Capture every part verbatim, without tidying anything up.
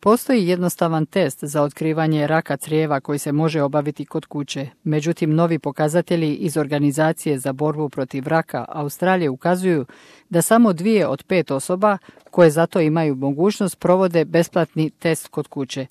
Postoji jednostavan test za otkrivanje raka crijeva koji se može obaviti kod kuće. Međutim, novi pokazatelji iz Organizacije za borbu protiv raka Australije ukazuju da samo dvije od pet osoba koje zato imaju mogućnost provode besplatni test kod kuće.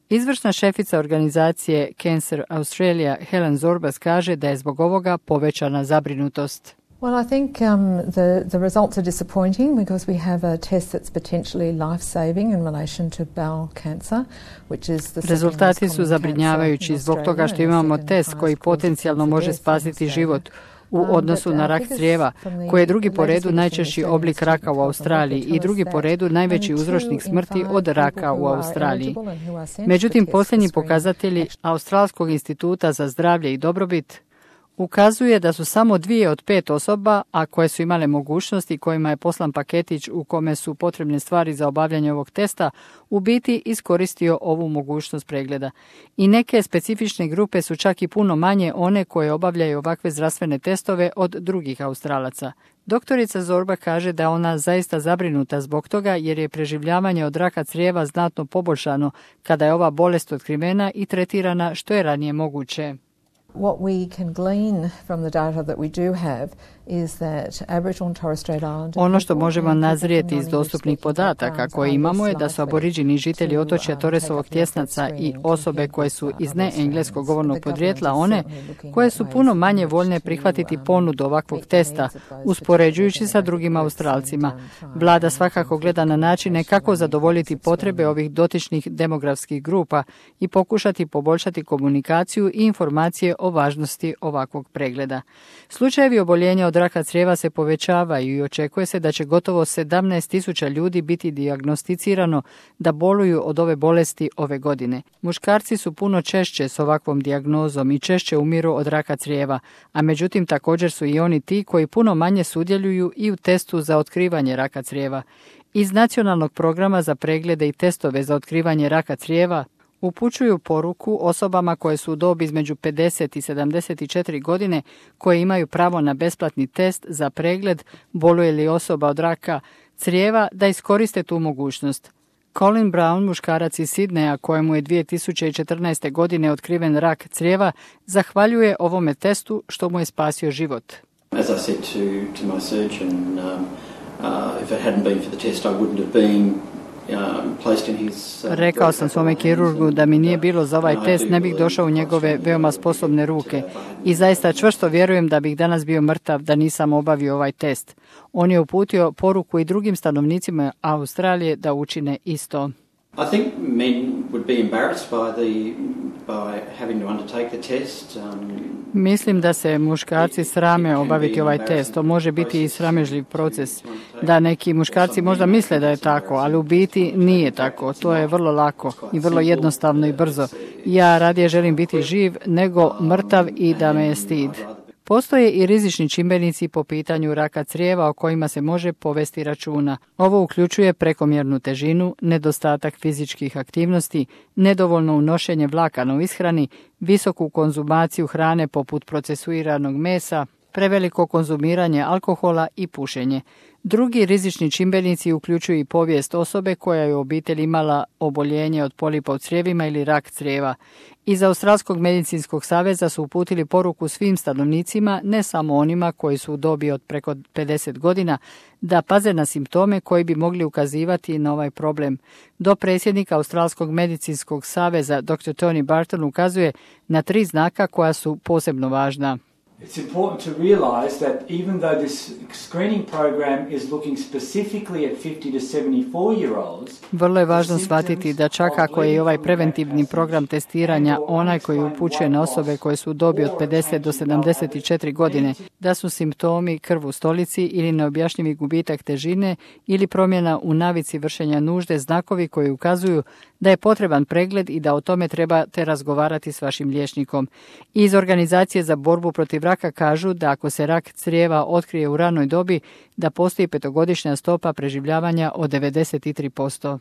Izvršna šefica organizacije Cancer Australia Helen Zorbas kaže da je zbog ovoga povećana zabrinutost. Well, I think um, the, the results are disappointing because we have a test that's potentially life-saving in relation to bowel cancer, which is the Rezultati su zabrinjavajući zbog toga što imamo test koji potencijalno može spasiti život u odnosu na rak crijeva, koji je drugi po redu najčešći oblik raka u Australiji i drugi po redu najveći uzročnik smrti od raka u Australiji. Međutim, posljednji pokazatelji Australskog instituta za zdravlje i dobrobit ukazuje da su samo dvije od pet osoba, a koje su imale mogućnosti kojima je poslan paketić u kome su potrebne stvari za obavljanje ovog testa, u biti iskoristio ovu mogućnost pregleda. I neke specifične grupe su čak i puno manje one koje obavljaju ovakve zdravstvene testove od drugih Australaca. Doktorica Zorba kaže da ona zaista zabrinuta zbog toga jer je preživljavanje od raka crijeva znatno poboljšano kada je ova bolest otkrivena i tretirana što je ranije moguće. What we can glean from the data that we do have is that Aboriginal and Torres Strait Islander... Ono što možemo nazrijeti iz dostupnih podataka koje imamo je da su aboriđini žitelji otočja Torresovog tjesnaca i osobe koje su iz neengleskog govornog podrijetla one koje su puno manje voljne prihvatiti ponudu ovakvog testa, uspoređujući sa drugim Australcima. Vlada svakako gleda na načine kako zadovoljiti potrebe ovih dotičnih demografskih grupa i pokušati poboljšati komunikaciju i informacije o važnosti ovakvog pregleda. Slučajevi oboljenja od raka crijeva se povećavaju i očekuje se da će gotovo sedamnaest tisuća ljudi biti dijagnosticirano da boluju od ove bolesti ove godine. Muškarci su puno češće s ovakvom dijagnozom i češće umiru od raka crijeva, a međutim također su i oni ti koji puno manje sudjeluju i u testu za otkrivanje raka crijeva. Iz Nacionalnog programa za preglede i testove za otkrivanje raka crijeva upućuju poruku osobama koje su u dobi između pedeset i sedamdeset četiri godine koje imaju pravo na besplatni test za pregled boluje li osoba od raka crijeva da iskoriste tu mogućnost. Colin Brown, muškarac iz Sidneja kojemu je dvije tisuće četrnaeste. godine otkriven rak crijeva, zahvaljuje ovome testu što mu je spasio život. As I said to, to my surgeon, um, uh, if it hadn't been for the test I wouldn't have been Rekao sam svome kirurgu da mi nije bilo za ovaj test, ne bih došao u njegove veoma sposobne ruke i zaista čvrsto vjerujem da bih danas bio mrtav da nisam obavio ovaj test. On je uputio poruku i drugim stanovnicima Australije da učine isto. I think men would be embarrassed by the by having to undertake the test. Um, Mislim da se muškarci srame obaviti ovaj test. To može biti i sramežljiv proces. Da neki muškarci možda misle da je tako, ali u biti nije tako. To je vrlo lako i vrlo jednostavno i brzo. Ja radije želim biti živ nego mrtav i da me je stid. Postoje i rizični čimbenici po pitanju raka crijeva o kojima se može povesti računa. Ovo uključuje prekomjernu težinu, nedostatak fizičkih aktivnosti, nedovoljno unošenje vlakana u ishrani, visoku konzumaciju hrane poput procesuiranog mesa, preveliko konzumiranje alkohola i pušenje. Drugi rizični čimbenici uključuju i povijest osobe koja je u obitelji imala oboljenje od polipa u crijevima ili rak crijeva. Iz Australskog medicinskog saveza su uputili poruku svim stanovnicima, ne samo onima koji su u dobi od preko pedeset godina, da paze na simptome koji bi mogli ukazivati na ovaj problem. Dopredsjednik Australskog medicinskog saveza doktor Tony Barton ukazuje na tri znaka koja su posebno važna. It's important to realize that even though this screening program is looking specifically at fifty to seventy-four year olds, vrlo je važno shvatiti da čak ako je i ovaj preventivni program testiranja onaj koji upućuje na osobe koje su u dobi od pedeset do sedamdeset četiri godine, da su simptomi krv u stolici ili neobjašnjivi gubitak težine ili promjena u navici vršenja nužde znakovi koji ukazuju da je potreban pregled i da o tome trebate razgovarati s vašim liječnikom. Iz Organizacije za borbu protiv raka kažu da ako se rak crijeva otkrije u ranoj dobi, da postoji petogodišnja stopa preživljavanja od devedeset tri posto.